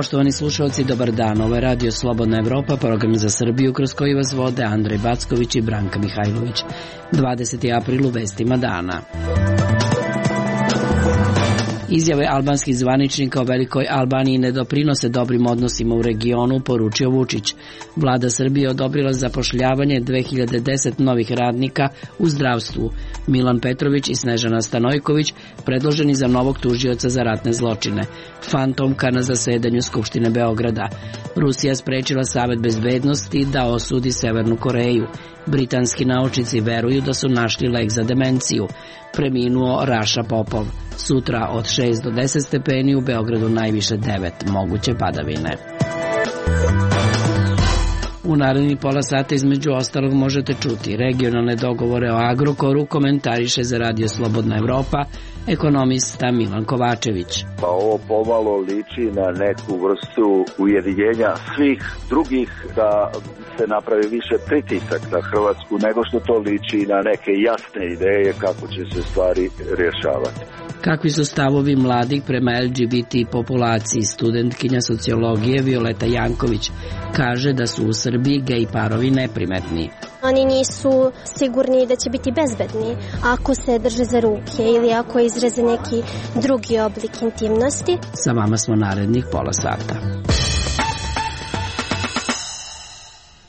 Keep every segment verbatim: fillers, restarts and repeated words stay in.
Poštovani slušalci, dobar dan. Ovo je Radio Slobodna Evropa, program za Srbiju kroz koji vas vode Andrej Backović i Branka Mihajlović. dvadeseti april u vestima dana. Izjave albanskih zvaničnika o Velikoj Albaniji ne doprinose dobrim odnosima u regionu, poručio Vučić. Vlada Srbije odobrila zapošljavanje dve hiljade deset novih radnika u zdravstvu. Milan Petrović i Snežana Stanojković predloženi za novog tužioca za ratne zločine. Fantomka na zasedanju Skupštine Beograda. Rusija sprečila Savet bezbednosti da osudi Severnu Koreju. Britanski naučnici veruju da su našli lek za demenciju. Preminuo Raša Popov. Sutra od šest do deset stepeni, u Beogradu najviše devet, moguće padavine. U narednih pola sata između ostalog možete čuti regionalne dogovore o Agrokoru, komentariše za Radio Slobodna Evropa ekonomista Milan Kovačević. Pa ovo pomalo liči na neku vrstu ujedinjenja svih drugih da se napravi više pritisak na Hrvatsku nego što to liči na neke jasne ideje kako će se stvari rješavati. Kakvi su stavovi mladih prema L G B T populaciji? Studentkinja sociologije Violeta Janković kaže da su u Srbiji gej parovi neprimetni. Oni nisu sigurni da će biti bezbedni ako se drže za ruke ili ako izraze neki drugi oblik intimnosti. Sa vama smo narednih pola sata.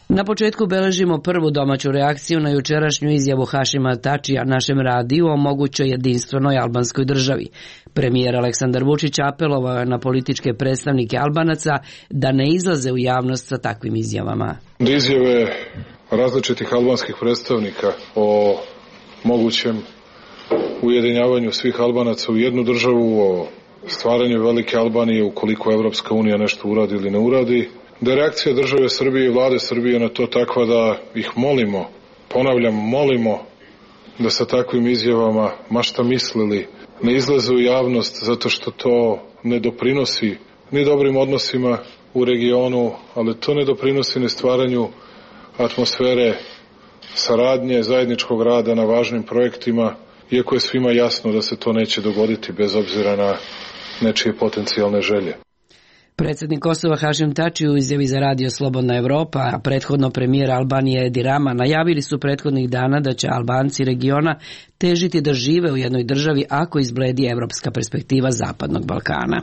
Na početku beležimo prvu domaću reakciju na jučerašnju izjavu Hašima Tačija našem radiju o mogućoj jedinstvenoj albanskoj državi. Premijer Aleksandar Vučić apelovao je na političke predstavnike Albanaca da ne izlaze u javnost sa takvim izjavama. Izjave različitih albanskih predstavnika o mogućem ujedinjavanju svih Albanaca u jednu državu, o stvaranju velike Albanije ukoliko Evropska unija nešto uradi ili ne uradi, da je reakcija države Srbije i vlade Srbije na to takva da ih molimo, ponavljam, molimo da sa takvim izjavama, ma šta mislili, ne izlaze u javnost zato što to ne doprinosi ni dobrim odnosima u regionu, ali to ne doprinosi ni stvaranju atmosfere saradnje, zajedničkog rada na važnim projektima, iako je svima jasno da se to neće dogoditi bez obzira na nečije potencijalne želje. Predsjednik Kosova Hašim Tači u izjavi za Radio Slobodna Evropa, a prethodno premijer Albanije Edi Rama, najavili su prethodnih dana da će Albanci regiona težiti da žive u jednoj državi ako izbledi evropska perspektiva Zapadnog Balkana.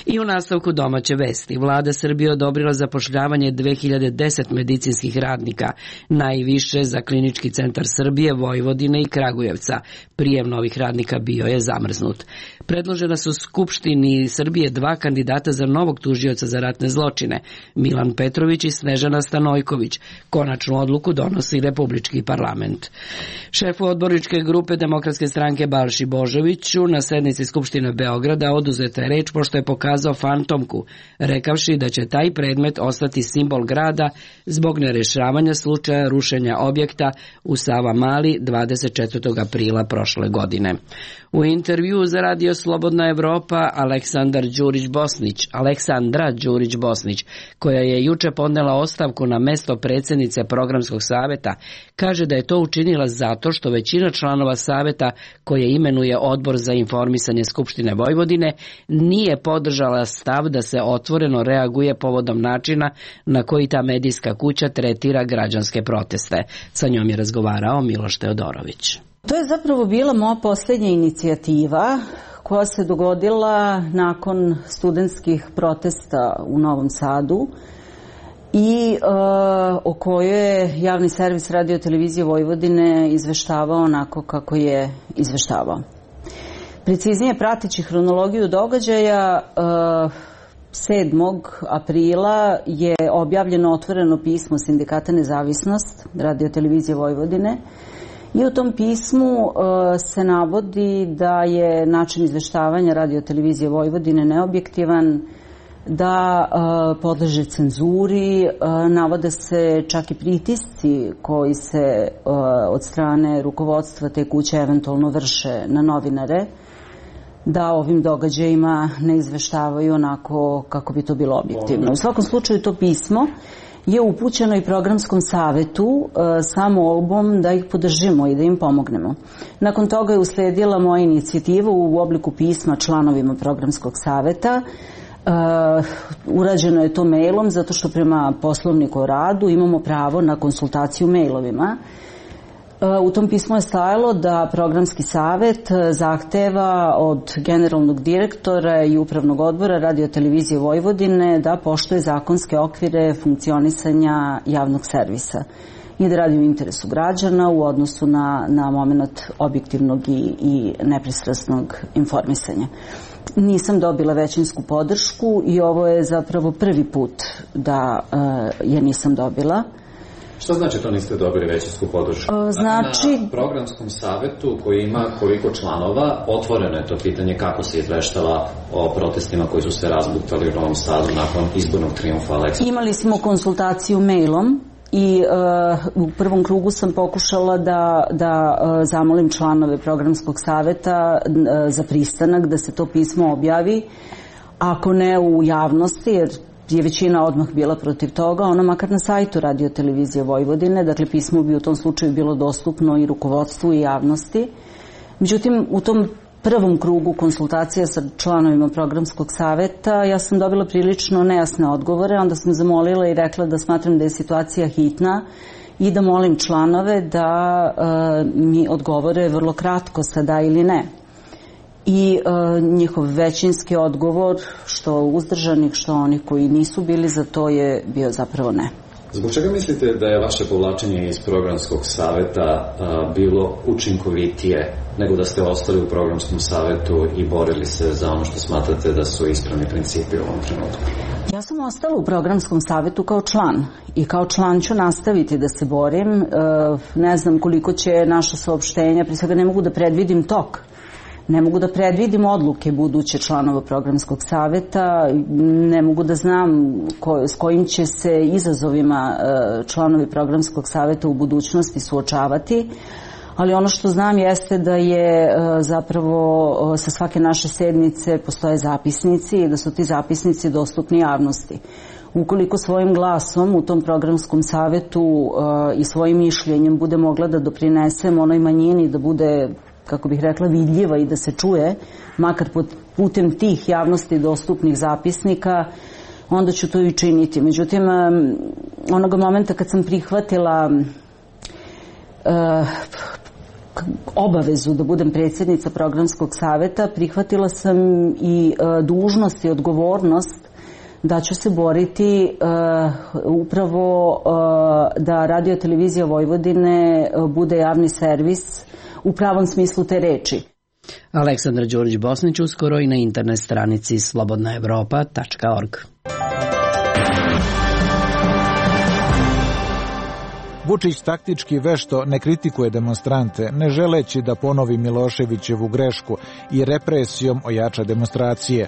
I u nastavku domaće vesti, vlada Srbije odobrila zapošljavanje dve hiljade deset medicinskih radnika, najviše za Klinički centar Srbije, Vojvodine i Kragujevca. Prijem novih radnika bio je zamrznut. Predložena su Skupštini Srbije dva kandidata za novog tužioca za ratne zločine, Milan Petrović i Snežana Stanojković. Konačnu odluku donosi Republički parlament. Šefu odborničke grupe Demokratske stranke Balši Božoviću na sednici Skupštine Beograda oduzeta je reč pošto je pokazao fantomku, rekavši da će taj predmet ostati simbol grada zbog nerešavanja slučaja rušenja objekta u Savamali dvadeset četvrtog aprila prošle godine. U intervjuu za Radio Slobodna Evropa Aleksandar Đurić-Bosnić, Aleksandra Đurić-Bosnić, koja je juče podnela ostavku na mesto predsjednice Programskog saveta, kaže da je to učinila zato što većina članova saveta koje imenuje Odbor za informisanje Skupštine Vojvodine nije podržala stav da se otvoreno reaguje povodom načina na koji ta medijska kuća tretira građanske proteste. Sa njom je razgovarao Miloš Teodorović. To je zapravo bila moja posljednja inicijativa koja se dogodila nakon studentskih protesta u Novom Sadu i e, o kojoj je javni servis Radio televizije Vojvodine izveštavao onako kako je izveštavao. Preciznije, prateći hronologiju događaja, e, sedmog aprila je objavljeno otvoreno pismo Sindikata Nezavisnost Radio televizije Vojvodine. I u tom pismu uh, se navodi da je način izveštavanja Radio televizije Vojvodine neobjektivan, da uh, podleže cenzuri, uh, navode se čak i pritisci koji se uh, od strane rukovodstva te kuće eventualno vrše na novinare, da ovim događajima ne izveštavaju onako kako bi to bilo objektivno. U svakom slučaju to pismo je upućeno i Programskom savetu e, sa molbom da ih podržimo i da im pomognemo. Nakon toga je usledila moja inicijativa u obliku pisma članovima Programskog saveta, e, urađeno je to mailom zato što prema poslovniku o radu imamo pravo na konsultaciju mailovima. U tom pismu je stajalo da programski savet zahteva od generalnog direktora i upravnog odbora Radio-televizije Vojvodine da poštuje zakonske okvire funkcionisanja javnog servisa i da radi u interesu građana u odnosu na, na moment objektivnog i, i nepristrasnog informisanja. Nisam dobila većinsku podršku i ovo je zapravo prvi put da uh, je nisam dobila. Što znači to niste dobili većinsku podršku? Uh, znači... Na programskom savetu koji ima koliko članova, otvoreno je to pitanje kako se izveštava o protestima koji su se razbuktali u Novom Sadu nakon izbornog trijumfa Aleksa. Imali smo konsultaciju mailom i uh, u prvom krugu sam pokušala da, da uh, zamolim članove programskog saveta uh, za pristanak da se to pismo objavi, ako ne u javnosti, jer je većina odmah bila protiv toga, ono makar na sajtu Radio-televizije Vojvodine, dakle pismo bi u tom slučaju bilo dostupno i rukovodstvu i javnosti. Međutim, u tom prvom krugu konsultacija sa članovima programskog saveta ja sam dobila prilično nejasne odgovore, onda sam zamolila i rekla da smatram da je situacija hitna i da molim članove da uh, mi odgovore vrlo kratko sa da ili ne. I uh, njihov većinski odgovor, što uzdržanih, što onih koji nisu bili za to, je bio zapravo ne. Zbog čega mislite da je vaše povlačenje iz programskog saveta uh, bilo učinkovitije nego da ste ostali u programskom savetu i borili se za ono što smatrate da su ispravni principi u ovom trenutku? Ja sam ostala u programskom savetu kao član i kao član ću nastaviti da se borim. Uh, ne znam koliko će naša saopštenja, prije svega ne mogu da predvidim tok. Ne mogu da predvidim odluke buduće članova programskog saveta, ne mogu da znam ko, s kojim će se izazovima članovi programskog saveta u budućnosti suočavati, ali ono što znam jeste da je zapravo sa svake naše sednice postoje zapisnici i da su ti zapisnici dostupni javnosti. Ukoliko svojim glasom u tom programskom savetu i svojim mišljenjem bude mogla da doprinesem onoj manjini da bude, kako bih rekla, vidljiva i da se čuje, makar putem tih javnosti dostupnih zapisnika, onda ću to i činiti. Međutim, onoga momenta kad sam prihvatila uh, obavezu da budem predsjednica programskog saveta, prihvatila sam i uh, dužnost i odgovornost da ću se boriti uh, upravo uh, da Radio-televizija Vojvodine uh, bude javni servis u pravom smislu te reči. Aleksandra Đurić-Bosnić uskoro i na internet stranici slobodna evropa tačka org. Vučić taktički vešto ne kritikuje demonstrante, ne želeći da ponovi Miloševićevu grešku i represijom ojača demonstracije.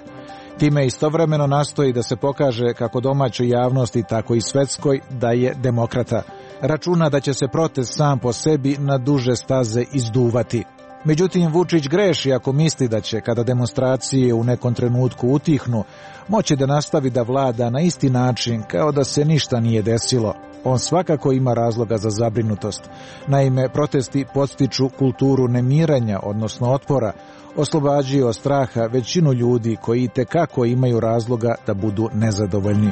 Time istovremeno nastoji da se pokaže kako domaćoj javnosti, tako i svetskoj, da je demokrata. Računa da će se protest sam po sebi na duže staze izduvati. Međutim, Vučić greši ako misli da će, kada demonstracije u nekom trenutku utihnu, moći da nastavi da vlada na isti način kao da se ništa nije desilo. On svakako ima razloga za zabrinutost. Naime, protesti podstiču kulturu nemiranja, odnosno otpora, oslobađaju od straha većinu ljudi koji itekako imaju razloga da budu nezadovoljni.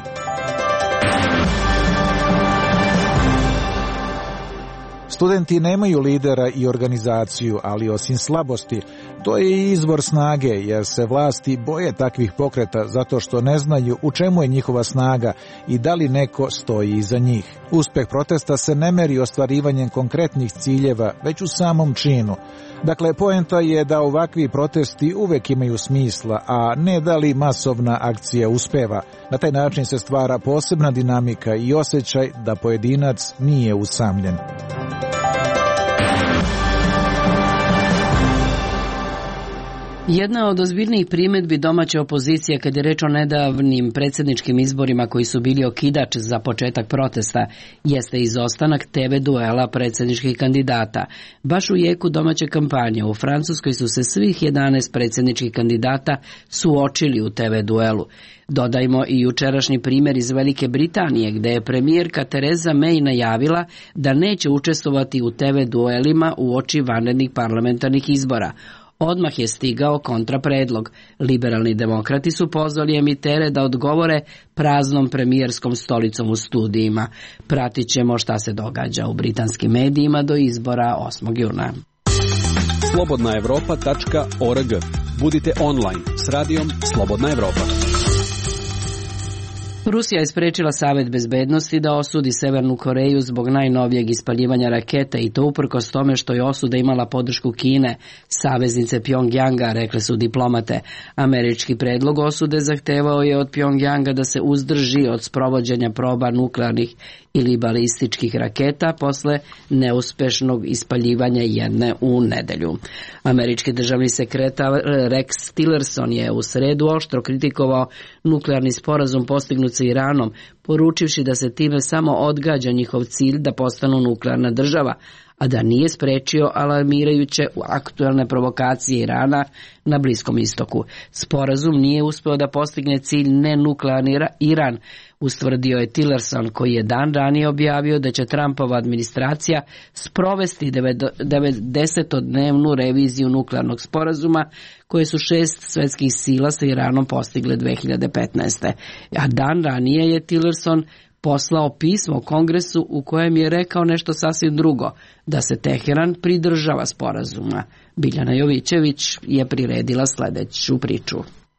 Studenti nemaju lidera i organizaciju, ali osim slabosti, to je i izvor snage, jer se vlasti boje takvih pokreta zato što ne znaju u čemu je njihova snaga i da li neko stoji iza njih. Uspeh protesta se ne meri ostvarivanjem konkretnih ciljeva, već u samom činu. Dakle, poenta je da ovakvi protesti uvek imaju smisla, a ne da li masovna akcija uspeva. Na taj način se stvara posebna dinamika i osjećaj da pojedinac nije usamljen. Jedna od ozbiljnijih primjedbi domaće opozicije kad je reč o nedavnim predsjedničkim izborima koji su bili okidač za početak protesta jeste izostanak te ve duela predsjedničkih kandidata. Baš u jeku domaće kampanje u Francuskoj su se svih jedanaest predsjedničkih kandidata suočili u te ve duelu. Dodajmo i jučerašnji primjer iz Velike Britanije gdje je premijerka Tereza May najavila da neće učestvovati u te ve duelima uoči vanrednih parlamentarnih izbora. odmah je stigao kontrapredlog. Liberalni demokrati su pozvali emitere da odgovore praznom premijerskom stolicom u studijima. Pratit ćemo šta se događa u britanskim medijima do izbora osmog juna. slobodna evropa tačka org. Budite online s radijom Slobodna Evropa. Rusija je sprečila Savet bezbednosti da osudi Severnu Koreju zbog najnovijeg ispaljivanja raketa i to uprkos tome što je osuda imala podršku Kine, saveznice Pjongjanga, rekle su diplomate. Američki predlog osude zahtevao je od Pjongjanga da se uzdrži od sprovođenja proba nuklearnih ili balističkih raketa posle neuspešnog ispaljivanja jedne u nedelju. Američki državni sekretar Rex Tillerson je u sredu oštro kritikovao nuklearni sporazum postignut sa Iranom, poručivši da se time samo odgađa njihov cilj da postanu nuklearna država, a da nije sprečio alarmirajuće aktuelne provokacije Irana na Bliskom istoku. Sporazum nije uspeo da postigne cilj nenuklearni Iran, ustvrdio je Tillerson, koji je dan ranije objavio da će Trumpova administracija sprovesti devedesetodnevnu reviziju nuklearnog sporazuma koje su šest svetskih sila sa Iranom postigle dve hiljade petnaeste. A dan ranije je Tillerson poslao pismo Kongresu u kojem je rekao nešto sasvim drugo, da se Teheran pridržava sporazuma. Biljana Jovićević je priredila sljedeću priču.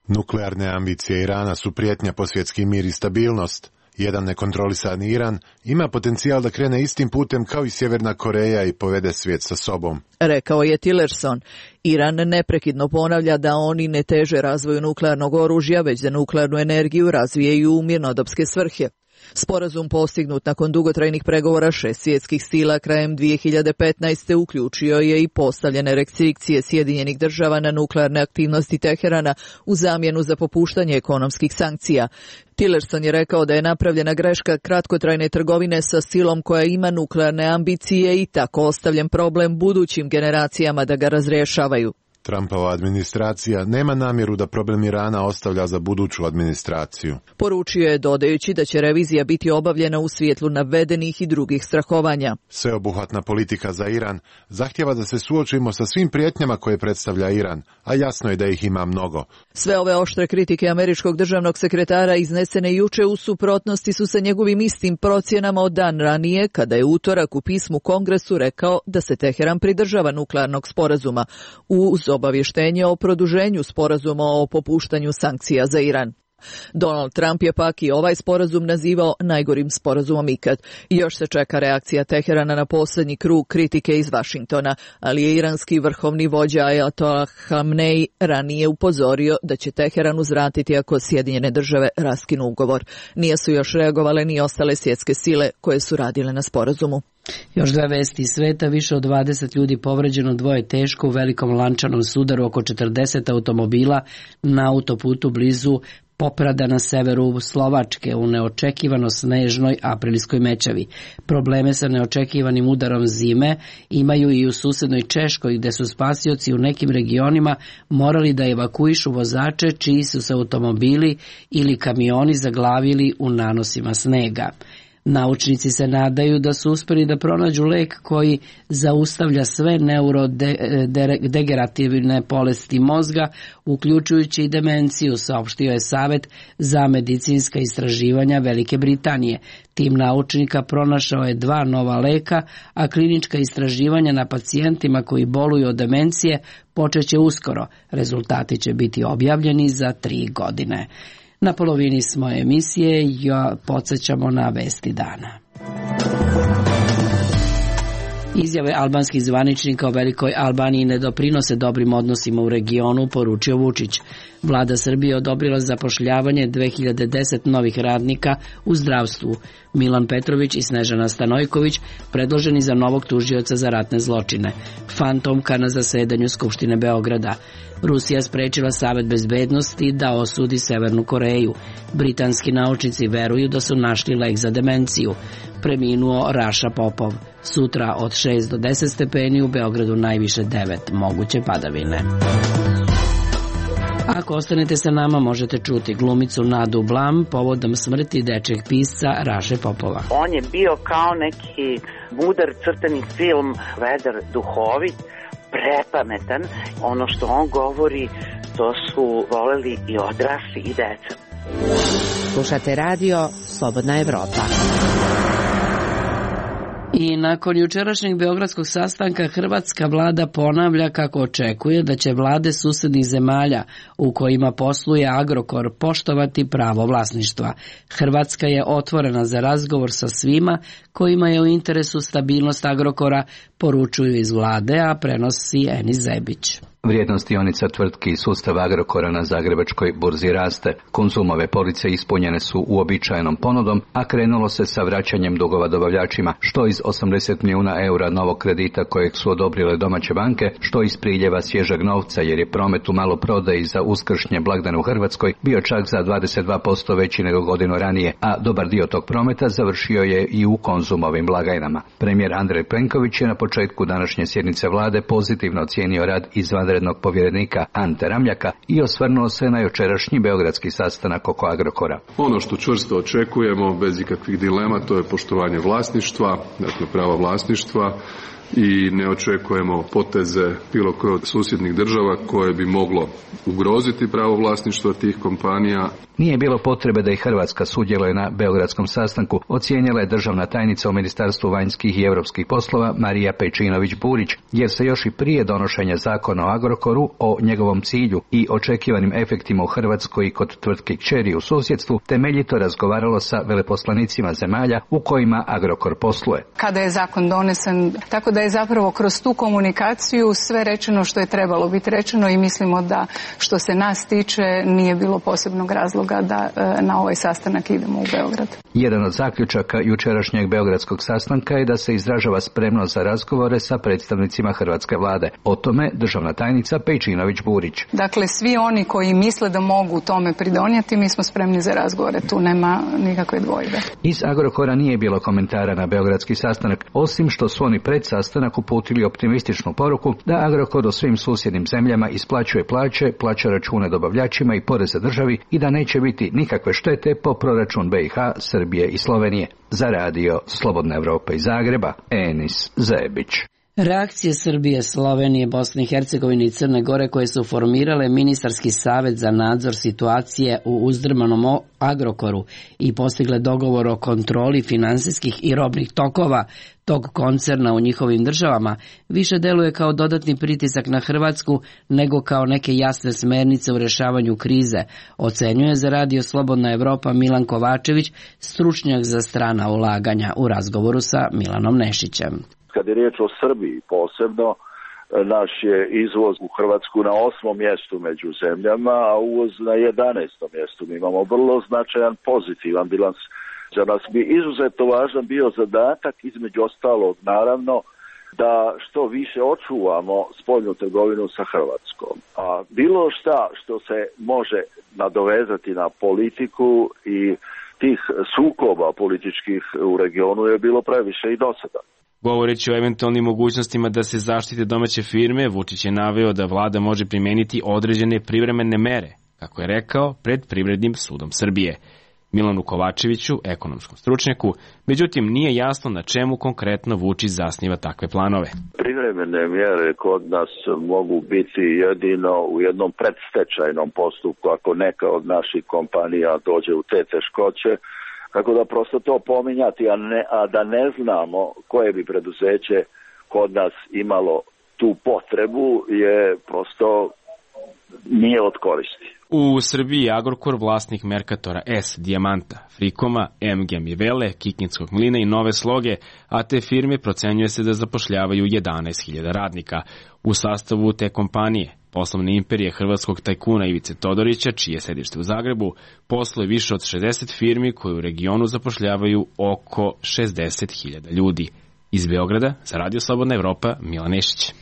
Nuklearne ambicije Irana su prijetnja po svjetski mir i stabilnost. Jedan nekontrolisani Iran ima potencijal da krene istim putem kao i Sjeverna Koreja i povede svijet sa sobom. Rekao je Tillerson. Iran neprekidno ponavlja da oni ne teže razvoju nuklearnog oružja, već da nuklearnu energiju razvijaju u mirnodopske svrhe. Sporazum postignut nakon dugotrajnih pregovora šest svjetskih sila krajem dvije hiljade petnaeste. uključio je i postavljene restrikcije Sjedinjenih država na nuklearne aktivnosti Teherana u zamjenu za popuštanje ekonomskih sankcija. Tillerson je rekao da je napravljena greška kratkotrajne trgovine sa silom koja ima nuklearne ambicije i tako ostavljen problem budućim generacijama da ga razrješavaju. Trumpova administracija nema namjeru da problem Irana ostavlja za buduću administraciju. Poručio je dodajući da će revizija biti obavljena u svjetlu navedenih i drugih strahovanja. Sveobuhvatna politika za Iran zahtjeva da se suočimo sa svim prijetnjama koje predstavlja Iran, a jasno je da ih ima mnogo. Sve ove oštre kritike američkog državnog sekretara iznesene juče u suprotnosti su sa njegovim istim procjenama od dan ranije, kada je utorak u pismu Kongresu rekao da se Teheran pridržava nuklearnog sporazuma, uz obavještenje o produženju sporazuma o popuštanju sankcija za Iran. Donald Trump je pak i ovaj sporazum nazivao najgorim sporazumom ikad. Još se čeka reakcija Teherana na posljednji krug kritike iz Vašingtona, ali je iranski vrhovni vođa Ajatolah Khamenei ranije upozorio da će Teheran uzvratiti ako Sjedinjene države raskinu ugovor. Nije su još reagovale ni ostale svjetske sile koje su radile na sporazumu. Još dve vesti iz sveta, više od dvadeset ljudi povređeno, dvoje teško u velikom lančanom sudaru, oko četrdeset automobila na autoputu blizu Poprada na severu Slovačke u neočekivano snežnoj aprilskoj mećavi. Probleme sa neočekivanim udarom zime imaju i u susednoj Češkoj, gde su spasioci u nekim regionima morali da evakuišu vozače čiji su se automobili ili kamioni zaglavili u nanosima snega. Naučnici se nadaju da su uspjeli da pronađu lek koji zaustavlja sve neurodegenerativne bolesti mozga, uključujući i demenciju, saopštio je Savet za medicinska istraživanja Velike Britanije. Tim naučnika pronašao je dva nova leka, a klinička istraživanja na pacijentima koji boluju od demencije počeće uskoro. Rezultati će biti objavljeni za tri godine. Na polovini smo emisije, ja podsjećamo na vesti dana. Izjave albanskih zvaničnika o Velikoj Albaniji ne doprinose dobrim odnosima u regionu, poručio Vučić. Vlada Srbije odobrila zapošljavanje dve hiljade deset novih radnika u zdravstvu. Milan Petrović i Snežana Stanojković predloženi za novog tužioca za ratne zločine. Fantomka na zasedanju Skupštine Beograda. Rusija sprečila Savet bezbednosti da osudi Severnu Koreju. Britanski naučnici veruju da su našli lek za demenciju. Preminuo Raša Popov. Sutra od šest do deset stepeni, u Beogradu najviše devet, moguće padavine. Ako ostanete sa nama, možete čuti glumicu Nadu Blam povodom smrti dečjeg pisca Raše Popova. On je bio kao neki mudar crtani film, vedar, duhovit, prepametan. Ono što on govori, to su voleli i odrasli i deca. Slušate radio Slobodna Evropa. I nakon jučerašnjeg beogradskog sastanka hrvatska vlada ponavlja kako očekuje da će vlade susednih zemalja u kojima posluje Agrokor poštovati pravo vlasništva. Hrvatska je otvorena za razgovor sa svima kojima je u interesu stabilnost Agrokora, poručuju iz vlade, a prenosi Enis Zebić. Vrijednost dionica tvrtki i sustava Agrokora na zagrebačkoj burzi raste. Konzumove police ispunjene su uobičajenom ponudom, a krenulo se sa vraćanjem dugova dobavljačima, što iz osamdeset milijuna eura novog kredita kojeg su odobrile domaće banke, što iz priljeva svježeg novca, jer je promet u maloprodaji za uskršnje blagdane u Hrvatskoj bio čak za dvadeset dva posto veći nego godinu ranije, a dobar dio tog prometa završio je i u Konzumovim blagajnama. Premijer Andrej Plenković je na početku današnje sjednice vlade pozitivno ocijenio rad izvanrednog povjerenika Ante Ramljaka i osvrnuo se na jučerašnji beogradski sastanak oko Agrokora. Ono što čvrsto očekujemo, bez ikakvih dilema, to je poštovanje vlasništva, dakle prava vlasništva, i ne očekujemo poteze bilo koje od susjednih država koje bi moglo ugroziti pravo vlasništva tih kompanija. Nije bilo potrebe da i Hrvatska sudjeluje na beogradskom sastanku, ocijenila je državna tajnica u Ministarstvu vanjskih i europskih poslova Marija Pejčinović-Burić, jer se još i prije donošenja zakona o Agrokoru, o njegovom cilju i očekivanim efektima u Hrvatskoj i kod tvrtke kćeri u susjedstvu temeljito razgovaralo sa veleposlanicima zemalja u kojima Agrokor posluje. Kada je zakon donesen, tako da je zapravo kroz tu komunikaciju sve rečeno što je trebalo biti rečeno i mislimo da što se nas tiče nije bilo posebnog razloga da na ovaj sastanak idemo u Beograd. Jedan od zaključaka jučerašnjeg beogradskog sastanka je da se izražava spremnost za razgovore sa predstavnicima hrvatske vlade. O tome državna tajnica Pejčinović-Burić. Dakle, svi oni koji misle da mogu tome pridonijeti, mi smo spremni za razgovore, tu nema nikakve dvojbe. Iz Agrokora nije bilo komentara na beogradski sastanak, osim što su oni pred sastanak uputili optimističnu poruku da Agrokor u svim susjednim zemljama isplaćuje plaće, plaća račune dobavljačima i poreze državi i da neće biti nikakve štete po proračun B i H, Srbije i Slovenije. Za radio Slobodna Evropa iz Zagreba, Enis Zebić. Reakcije Srbije, Slovenije, Bosne i Hercegovine i Crne Gore koje su formirale ministarski savet za nadzor situacije u uzdrmanom Agrokoru i postigle dogovor o kontroli finansijskih i robnih tokova tog koncerna u njihovim državama, više deluje kao dodatni pritisak na Hrvatsku nego kao neke jasne smernice u rješavanju krize, ocenjuje za radio Slobodna Evropa Milan Kovačević, stručnjak za strana ulaganja, u razgovoru sa Milanom Nešićem. Kad je riječ o Srbiji posebno, naš je izvoz u Hrvatsku na osmom mjestu među zemljama, a uvoz na jedanaestom mjestu. Mi imamo vrlo značajan pozitivan bilans. Za nas bi izuzetno važan bio zadatak, između ostalog naravno, da što više očuvamo spoljnu trgovinu sa Hrvatskom. A bilo šta što se može nadovezati na politiku i tih sukoba političkih u regionu je bilo previše i do sada. Govoreći o eventualnim mogućnostima da se zaštite domaće firme, Vučić je naveo da vlada može primijeniti određene privremene mere, kako je rekao, pred Privrednim sudom Srbije. Milanu Kovačeviću, ekonomskom stručnjaku, međutim nije jasno na čemu konkretno Vučić zasniva takve planove. Privremene mjere kod nas mogu biti jedino u jednom predstečajnom postupku ako neka od naših kompanija dođe u te teškoće. Tako da prosto to pominjati, a, ne, a da ne znamo koje bi preduzeće kod nas imalo tu potrebu je prosto nije od koristi. U Srbiji Agrokor, vlasnik Merkatora S, Dijamanta, Frikoma, M G Mivele, Kikinskog mlina i Nove Sloge, a te firme procenjuje se da zapošljavaju jedanaest hiljada radnika. U sastavu te kompanije poslovne imperije hrvatskog tajkuna Ivice Todorića, čije sedište u Zagrebu, posluje više od šezdeset firmi koje u regionu zapošljavaju oko šezdeset hiljada ljudi. Iz Beograda, za Radio Slobodna Evropa, Milan Nešić.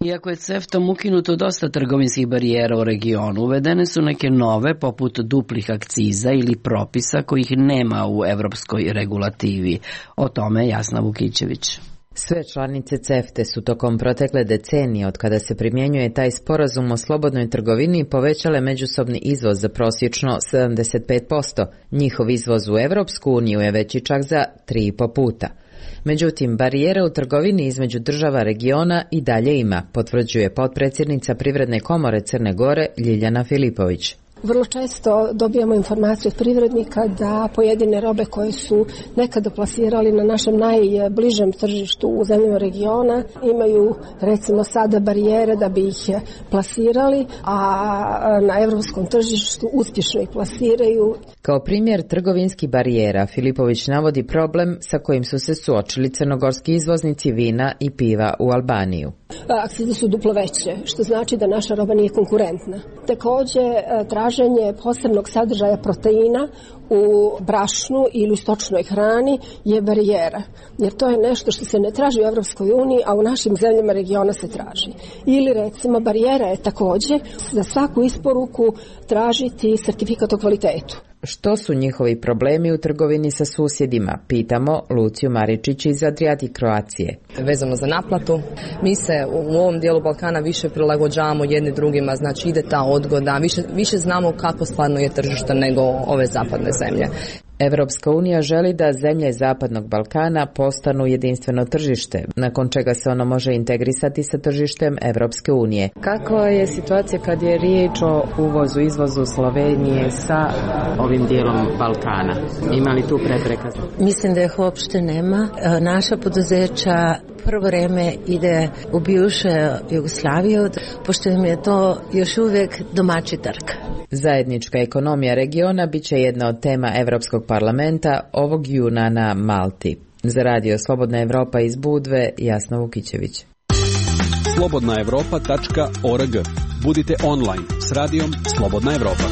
Iako je CEFTA-om ukinuto dosta trgovinskih barijera u regionu, uvedene su neke nove, poput duplih akciza ili propisa kojih nema u evropskoj regulativi. O tome Jasna Vukićević. Sve članice CEFTA su tokom protekle decenije od kada se primjenjuje taj sporazum o slobodnoj trgovini povećale međusobni izvoz za prosječno sedamdeset pet posto. Njihov izvoz u Evropsku uniju je veći čak za tri i po puta. Međutim, barijere u trgovini između država regiona i dalje ima, potvrđuje potpredsjednica Privredne komore Crne Gore Ljiljana Filipović. Vrlo često dobijamo informaciju od privrednika da pojedine robe koje su nekada plasirali na našem najbližem tržištu u zemljama regiona imaju recimo sada barijere da bi ih plasirali, a na evropskom tržištu uspješno ih plasiraju. Kao primjer trgovinskih barijera Filipović navodi problem sa kojim su se suočili crnogorski izvoznici vina i piva u Albaniju. Akcize su duplo veće, što znači da naša roba nije konkurentna. Također, traženje posebnog sadržaja proteina u brašnu ili u stočnoj hrani je barijera, jer to je nešto što se ne traži u Evropskoj uniji, a u našim zemljama regiona se traži. Ili recimo barijera je također za svaku isporuku tražiti sertifikat o kvalitetu. Što su njihovi problemi u trgovini sa susjedima? Pitamo Luciju Maričić iz Adriatic Croacije. Vezano za naplatu, mi se u ovom dijelu Balkana više prilagođavamo jedni drugima, znači ide ta odgoda, više, više znamo kako stvarno je tržište nego ove zapadne zemlje. Evropska unija želi da zemlje Zapadnog Balkana postanu jedinstveno tržište, nakon čega se ono može integrisati sa tržištem Evropske unije. Kakva je situacija kad je riječ o uvozu, izvozu Slovenije sa ovim dijelom Balkana? Ima li tu prepreka? Mislim da ih uopšte nema. Naša poduzeća prvo vreme ide u bivšu Jugoslaviju, pošto im je to još uvijek domaći trg. Zajednička ekonomija regiona bit će jedna od tema Evropskog parlamenta ovog juna na Malti. Za radio Slobodna Evropa iz Budve, Jasna Vukićević. slobodna evropa tačka org. Budite online s radijom Slobodna Evropa.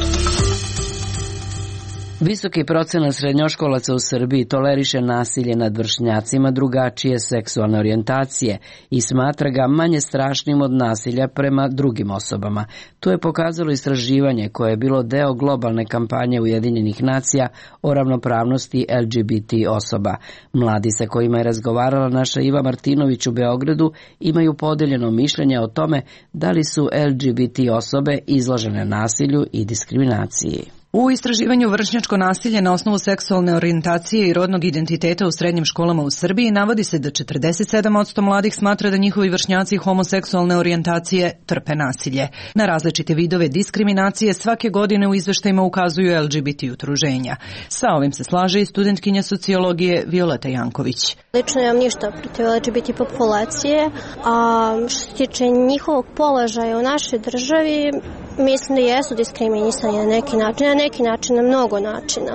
Visoki procenat srednjoškolaca u Srbiji toleriše nasilje nad vršnjacima drugačije seksualne orijentacije i smatra ga manje strašnim od nasilja prema drugim osobama. To je pokazalo istraživanje koje je bilo deo globalne kampanje Ujedinjenih nacija o ravnopravnosti L G B T osoba. Mladi sa kojima je razgovarala naša Iva Martinović u Beogradu imaju podeljeno mišljenje o tome da li su L G B T osobe izložene nasilju i diskriminaciji. U istraživanju vršnjačko nasilje na osnovu seksualne orijentacije i rodnog identiteta u srednjim školama u Srbiji navodi se da četrdeset sedam posto mladih smatra da njihovi vršnjaci homoseksualne orijentacije trpe nasilje. Na različite vidove diskriminacije svake godine u izveštajima ukazuju L G B T udruženja. Sa ovim se slaže i studentkinja sociologije Violeta Janković. Lično nemam ništa protiv L G B T populacije, a što se tiče njihovog položaja u našoj državi, mislim da jesu diskriminisani na neki način, na neki način, na mnogo načina.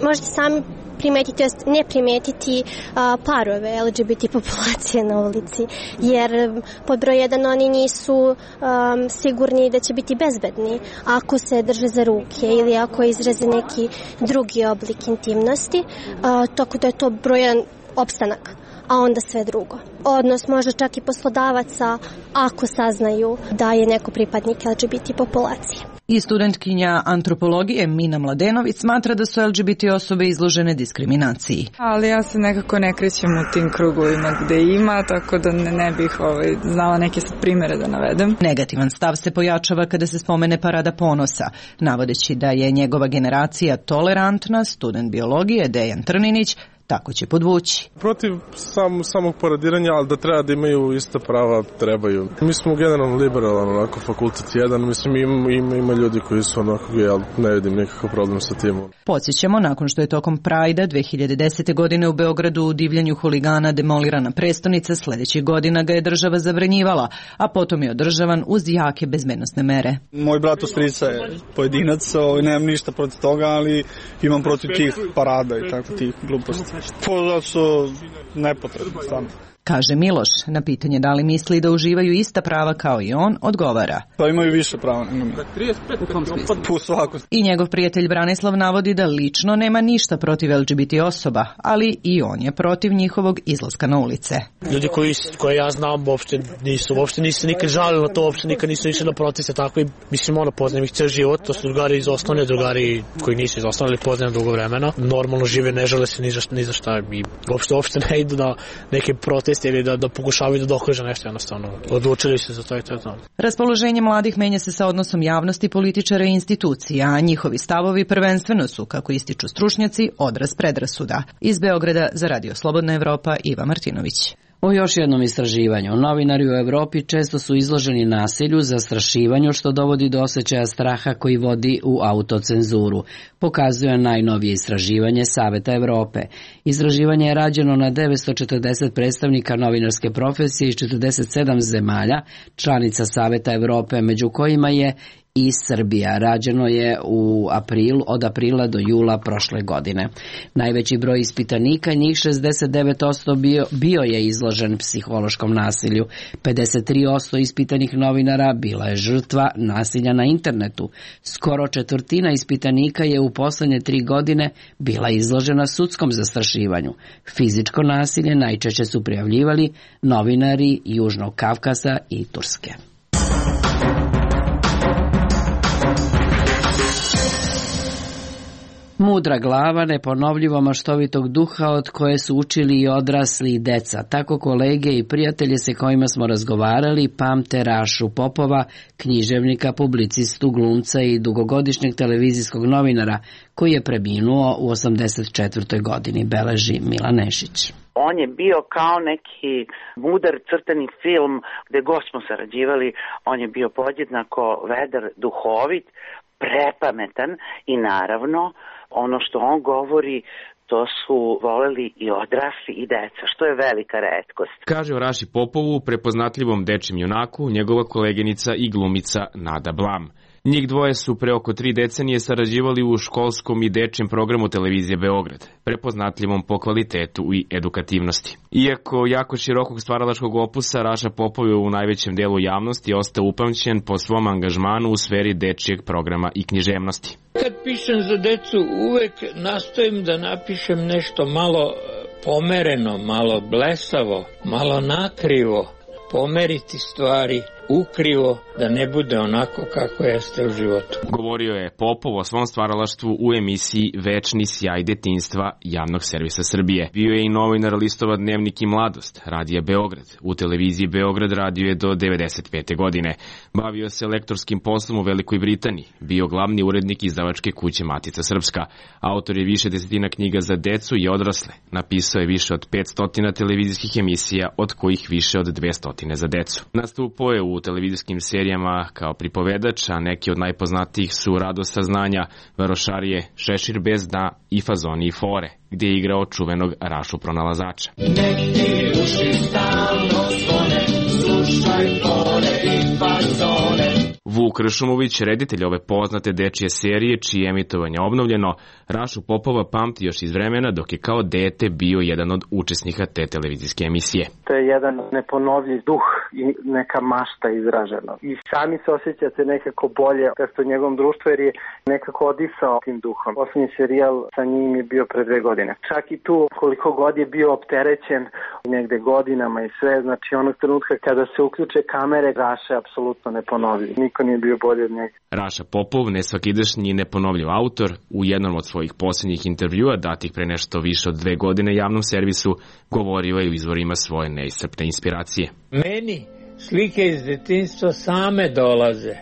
Možete sami primetiti, ne primetiti a, parove L G B T populacije na ulici, jer pod broj jedan oni nisu a, sigurni da će biti bezbedni ako se drže za ruke ili ako izraze neki drugi oblik intimnosti, a, tako da je to brojan opstanak, a onda sve drugo. Odnos možda čak i poslodavaca ako saznaju da je neko pripadnik L G B T populacije. I studentkinja antropologije Mina Mladenović smatra da su L G B T osobe izložene diskriminaciji. Ali ja se nekako ne krećem u tim krugovima gde ima, tako da ne, ne bih ovaj, znala neke sad primere da navedem. Negativan stav se pojačava kada se spomene Parada ponosa, navodeći da je njegova generacija tolerantna. Student biologije Dejan Trninić tako će podvući. Protiv sam, samog paradiranja, ali da treba da imaju ista prava, trebaju. Mi smo generalno liberalan, onako, fakultet jedan, mislim ima, ima, ima ljudi koji su onako gej, ali ne vidim nikakav problem sa tim. Podsjećamo, nakon što je tokom Prajda dve hiljade desete. godine u Beogradu u divljanju huligana demolirana prestonica, sljedećih godina ga je država zabranjivala, a potom je održavan uz jake bezbednosne mere. Moj brat u strica je pojedinac, nemam ništa protiv toga, ali imam protiv tih parada i tako tih gluposti. To su nepotrebno, stvarno. Kaže Miloš, na pitanje da li misli da uživaju ista prava kao i on, odgovara. Pa imaju više prava nego mi. U kom smislu? U svakom. I njegov prijatelj Branislav navodi da lično nema ništa protiv L G B T osoba, ali i on je protiv njihovog izlaska na ulice. Ljudi koji, koje ja znam uopšte nisu, uopšte nisu nikad žalili na to, uopšte nikad nisu išli na proteste, tako i mislim ono poznajem ih ceo život, to su drugari iz osnovne, drugari koji nisu iz osnovne, ali poznajem dugo vremena. Normalno žive, ne žale se ni za, ni za šta i uopšte, uopšte ne idu na neke proteste proteste ili da, da pokušavaju da dokaže nešto jednostavno. Odlučili su za to i to je to. Raspoloženje mladih menja se sa odnosom javnosti, političara i institucija, a njihovi stavovi prvenstveno su, kako ističu stručnjaci, odraz predrasuda. Iz Beograda za Radio Slobodna Evropa, Iva Martinović. O još jednom istraživanju. Novinari u Evropi često su izloženi nasilju, zastrašivanju, što dovodi do osjećaja straha koji vodi u autocenzuru, pokazuje najnovije istraživanje Saveta Evrope. Istraživanje je rađeno na devetsto četrdeset predstavnika novinarske profesije iz četrdeset sedam zemalja, članica Saveta Evrope, među kojima je i Srbija. Rađeno je u aprilu, od aprila do jula prošle godine. Najveći broj ispitanika, njih šezdeset devet posto bio, bio je izložen psihološkom nasilju. pedeset tri posto ispitanih novinara bila je žrtva nasilja na internetu. Skoro četvrtina ispitanika je u poslednje tri godine bila izložena sudskom zastrašivanju. Fizičko nasilje najčešće su prijavljivali novinari Južnog Kavkaza i Turske. Mudra glava neponovljivo maštovitog duha od koje su učili i odrasli i deca. Tako kolege i prijatelje se kojima smo razgovarali pamte Rašu Popova, književnika, publicistu, glumca i dugogodišnjeg televizijskog novinara koji je preminuo u osamdeset četvrtoj godini, beleži Milan Nešić. On je bio kao neki mudar crtani film gde god smo sarađivali, on je bio podjednako vedar, duhovit, prepametan i naravno ono što on govori to su voleli i odrasli i deca, što je velika retkost. Kaže o Raši Popovu, prepoznatljivom dečjem junaku, njegova koleginica i glumica Nada Blam. Njih dvoje su pre oko tri decenije sarađivali u školskom i dečjem programu televizije Beograd, prepoznatljivom po kvalitetu i edukativnosti. Iako jako širokog stvaralačkog opusa, Raša Popov je u najvećem delu javnosti ostao upamćen po svom angažmanu u sferi dečjeg programa i književnosti. Kad pišem za decu, uvek nastojim da napišem nešto malo pomereno, malo blesavo, malo nakrivo, pomeriti stvari ukrivo, da ne bude onako kako jeste u životu. Govorio je Popov o svom stvaralaštvu u emisiji Večni sjaj detinjstva Javnog servisa Srbije. Bio je i novinar listova Dnevnik i mladost, Radija Beograd. U televiziji Beograd radio je do devedeset pete godine. Bavio se lektorskim poslom u Velikoj Britaniji. Bio glavni urednik izdavačke kuće Matica Srpska. Autor je više desetina knjiga za decu i odrasle. Napisao je više od petsto televizijskih emisija, od kojih više od dvesta za decu. Nastupao je u televizijskim serijama kao pripovedač, a neki od najpoznatijih su Radost saznanja, Varošarije, Šešir bez dna i Fazoni i fore, gdje je igrao čuvenog Rašu pronalazača. Neki uši stalno zvone, slušaj fore i fazone. Vuk Ršumović, reditelj ove poznate dečije serije, čije emitovanje obnovljeno, Rašu Popova pamti još iz vremena dok je kao dete bio jedan od učesnika te televizijske emisije. To je jedan neponovljiv duh i neka mašta izražena. I sami se osjećate nekako bolje kad ste u njegovom društvu, jer je nekako odisao tim duhom. Poslednji serijal sa njim je bio pre dve godine. Čak i tu, koliko god je bio opterećen negde godinama i sve, znači onog trenutka kada se uključe kamere, Raša je apsolutno neponovljiv. Niko nije bio bolje od njega. Raša Popov, nesvakidašnji i neponovljiv autor, u jednom od svojih posljednjih intervjua, datih pre nešto više od dve godine javnom servisu, govorio je u izvorima svoje neiscrpne inspiracije. Meni slike iz detinjstva same dolaze.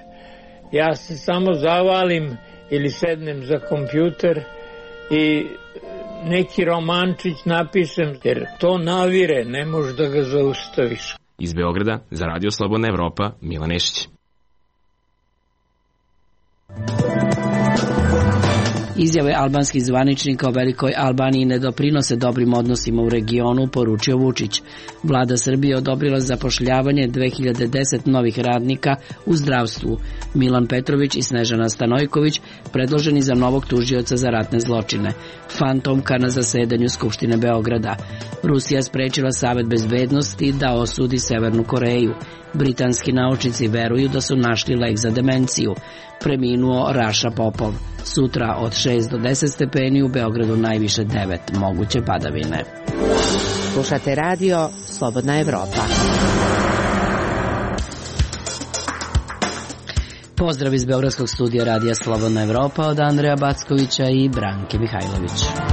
Ja se samo zavalim ili sednem za kompjuter i neki romančić napišem, jer to navire, ne možeš da ga zaustaviš. Iz Beograda, za Radio Slobodna Evropa, Milan Nešić. Izjave albanskih zvaničnika o Velikoj Albaniji ne doprinose dobrim odnosima u regionu, poručio Vučić. Vlada Srbije odobrila zapošljavanje dve hiljade deset novih radnika u zdravstvu. Milan Petrović i Snežana Stanojković predloženi za novog tužioca za ratne zločine. Fantomka na zasedanju Skupštine Beograda. Rusija sprečila Savet bezbednosti da osudi Severnu Koreju. Britanski naučnici veruju da su našli lek za demenciju. Preminuo Raša Popov. Sutra od šest do deset stepeni, u Beogradu najviše devet, moguće padavine. Slušate radio Slobodna Evropa. Pozdrav iz Beogradskog studija Radija Slobodna Evropa od Andreja Backovića i Branke Mihajlović.